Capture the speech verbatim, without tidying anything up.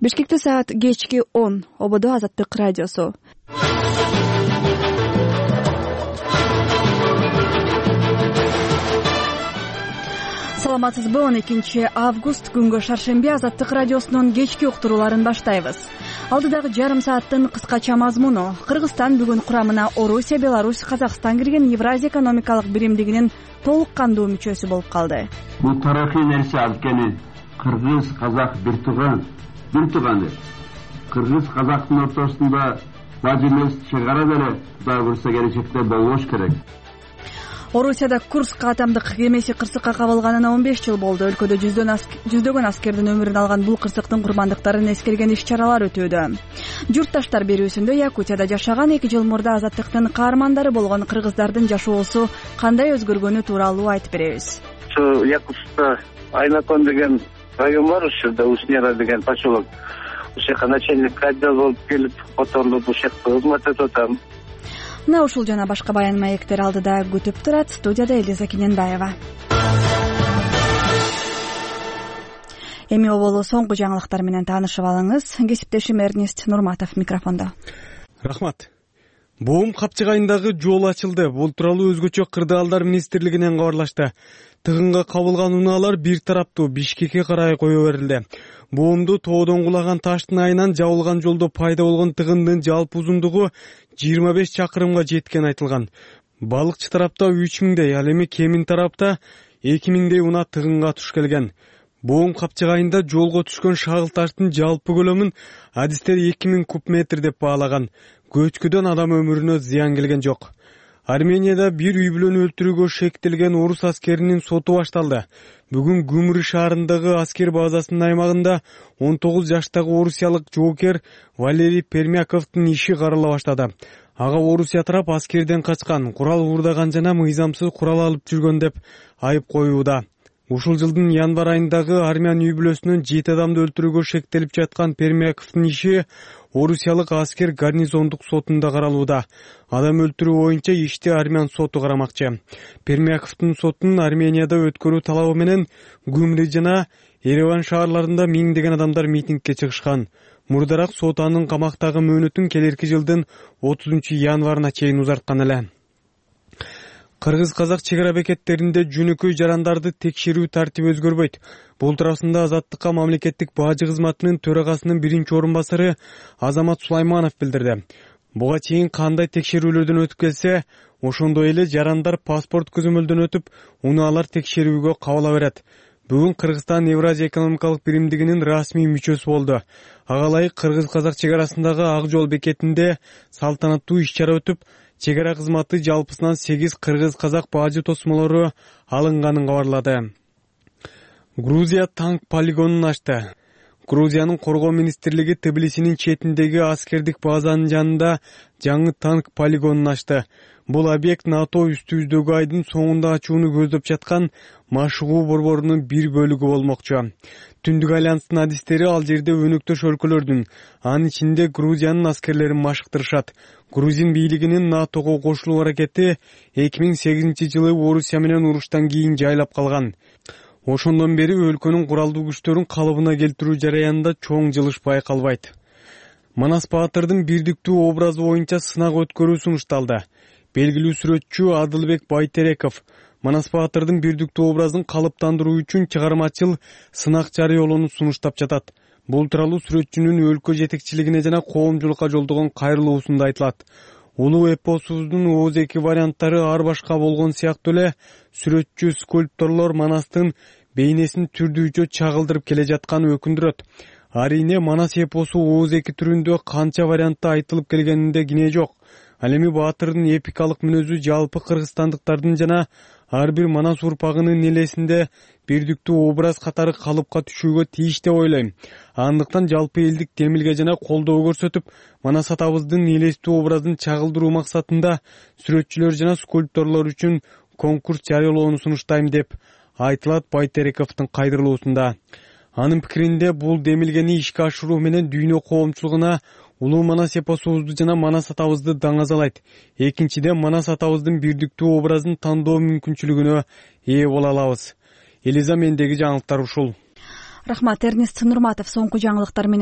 Бишкекте саат кечки он. Ободо Азаттык радиосу. Саламатсызбы? он экинчи август күнгө шаршемби Азаттык радиосунун кечки уктурууларын баштайбыз. Алдыдагы жарым сааттын кыскача мазмуну: Кыргызстан бүгүн курамына Орусия, Беларусь, Казакстан кирген Евразия экономикалык биримдигинин толук кандуу мүчөсү болуп калды. Бул тарыхый нерсе анткени кыргыз казак бир тууган, бир тууган. Кыргыз казактын ортосунда бажы эмес чегара деле Кудай буйрса келечекте болбош керек. Орусияда Курск атомдук кемеси кырсыкка кабылганына он беш жыл болду. Өлкөдө жүздөгөн аскердин өмүрүн алган бул кырсыктын курмандыктарын эскерген иш-чаралар өтүүдө. Журтташтар берүүсүндө Якутияда жашаган эки жыл мурда азаттыктын каармандары болгон кыргыздардын жашоосу кандай өзгөргөнү тууралуу айтып беребиз. Ушу Якутскта Айнакон деген район бар, ушурда Уснера деген поселок. Ушул жака начальник отдел болуп келип, которулуп ушул жакта кызмат этип атам. Мына ушул жана башка баян маектер алдыда күтүп турат. Студияда Элиза Кененбаева. Эми оболу соңку жаңылыктар менен таанышып алыңыз. Кесиптешим Эрнест Нурматов микрофондо. Рахмат. Боом капчыгайындагы жол ачылды. Бул тууралуу өзгөчө кырдаалдар министрлигинен кабарлашты. Тыгынга кабылган унаалар бир тараптуу Бишкекке карай кое берилди. Боомду тоодон кулаган таштын айынан жабылган жолдо пайда болгон тыгындын жалпы узундугу жыйырма беш чакырымга жеткени айтылган. Балыкчы тарапта үч миңдей, ал эми Кемин тарапта эки миңдей унаа тыгынга туш келген. Боом капчыгайында жолго түшкөн шагыл таштын жалпы көлөмүн адистер эки миң куб метр деп баалаган. Көчкүдөн адам өмүрүнө зыян келген жок. Арменияда бир үй бүлөнү өлтүрүүгө шектелген орус аскеринин соту башталды. Бүгүн Гүмрү шаарындагы аскер базасынын аймагында он тогуз жаштагы орусиялык жоокер Валерий Пермяковдун иши карала баштады. Ага Орусия тарап аскерден качкан, курал уурдаган жана мыйзамсыз курал алып жүргөн деп айып коюуда. Ушул жылдын январь айындагы армян үй бүлөсүнөн жети адамды өлтүрүүгө шектелип жаткан Пермяковдун иши орусиялык аскер гарнизондук сотунда каралууда. Адам өлтүрүү боюнча ишти армян соту карамакчы. Пермяковдун сотун Арменияда өткөрүү талабы менен Гүмрү жана Ереван шаарларында миңдеген адамдар митингге чыгышкан. Мурдараак сот анын камактагы мөөнөтүн келерки жылдын отузунчу январына чейин узарткан эле. Кыргыз-казак чек ара бекеттеринде жөнөкөй жарандарды текшерүү тартиби өзгөрбөйт. Бул туурасында Азаттыкка мамлекеттик бажы кызматынын төрагасынын биринчи орун басары Азамат Сулайманов билдирди. Буга чейин кандай текшерүүлөрдөн өтүп келсе, ошондой эле жарандар паспорт көзөмөлдөн өтүп, унаалар текшерүүгө кабыла берет. Бүгүн Кыргызстан Евразия экономикалык биримдигинин расмий мүчөсү болду. Ага ылайык Кыргыз-казак чек арасындагы Ак жол бекетинде салтанаттуу иш-чара өтүп, чек ара кызматы жалпысынан сегиз кыргыз-казак бажы тосмолору алынганын кабарлады. Грузия танк полигонун ачты. Грузиянын коргоо министрлиги Тбилисинин четиндеги аскердик базанын жанында жаңы танк полигонун ачты. Бул объект НАТО үстүбүздөгү айдын соңунда ачууну көздөп жаткан машыгуу борборунун бир бөлүгү болмокчу. Түндүк альянстын адистери ал жерде өнөктөш өлкөлөрдүн, анын ичинде Грузиянын аскерлерин машыктырышат. Грузин бийлигинин НАТОго кошулуу аракети эки миң сегизинчи жылы Орусия менен уруштан кийин жайлап калган. Ошондон бери өлкөнүн куралдуу күчтөрүн калыбына келтирүү жараянында чоң жылыш байкалбайт. Манас Баатырдын бирдиктүү образы боюнча сынак өткөрүү сунушталды. Белгилүү сүрөтчү Адылбек Байтереков Манас Баатырдын бирдиктүү образын калыптандыруу үчүн чыгармачыл сынак жарыялоону сунуштап жатат. Бул тууралуу сүрөтчүнүн өлкө жетекчилигине жана коомчулукка жолдогон кайрылуусунда айтылат. Улуу эпосубуздун ооз эки варианттары ар башка болгон сыяктуу эле сүрөтчү скульпторлор Манастын бейнесин түрдүүчө чагылдырып келе жатканын өкүндүрөт. Арине Манас эпосу ооз эки түрүндө канча вариантта айтылып келгенинде кине жок. Ал эми Баатырдын эпикалык мүнөзү жалпы кыргызстандыктардын жана ар бир Манас урпагынын элесинде бирдиктүү образ катары калыпка түшүүгө тийиш деп ойлойм. Андыктан жалпы элдик демилге жана колдоо көрсөтүп, Манас атабыздын элестүү образын чагылдыруу максатында сүрөтчүлөр жана скульпторлор үчүн конкурс жарыялоону сунуштайм деп айтылат Байтерековдун кайрылуусунда. Анын пикиринде бул демилгени ишке ашыруу менен дүйнө коомчулугуна улуу Манас эпосубузду жана Манас атабызды даңазалайт. Экинчиден, Манас атабыздын бирдиктүү образын тандоо мүмкүнчүлүгүнө ээ боло алабыз. Элиза, мендеги жаңылыктар ушул. Рахмат, Эрнест Нурматов соңку жаңылыктар менен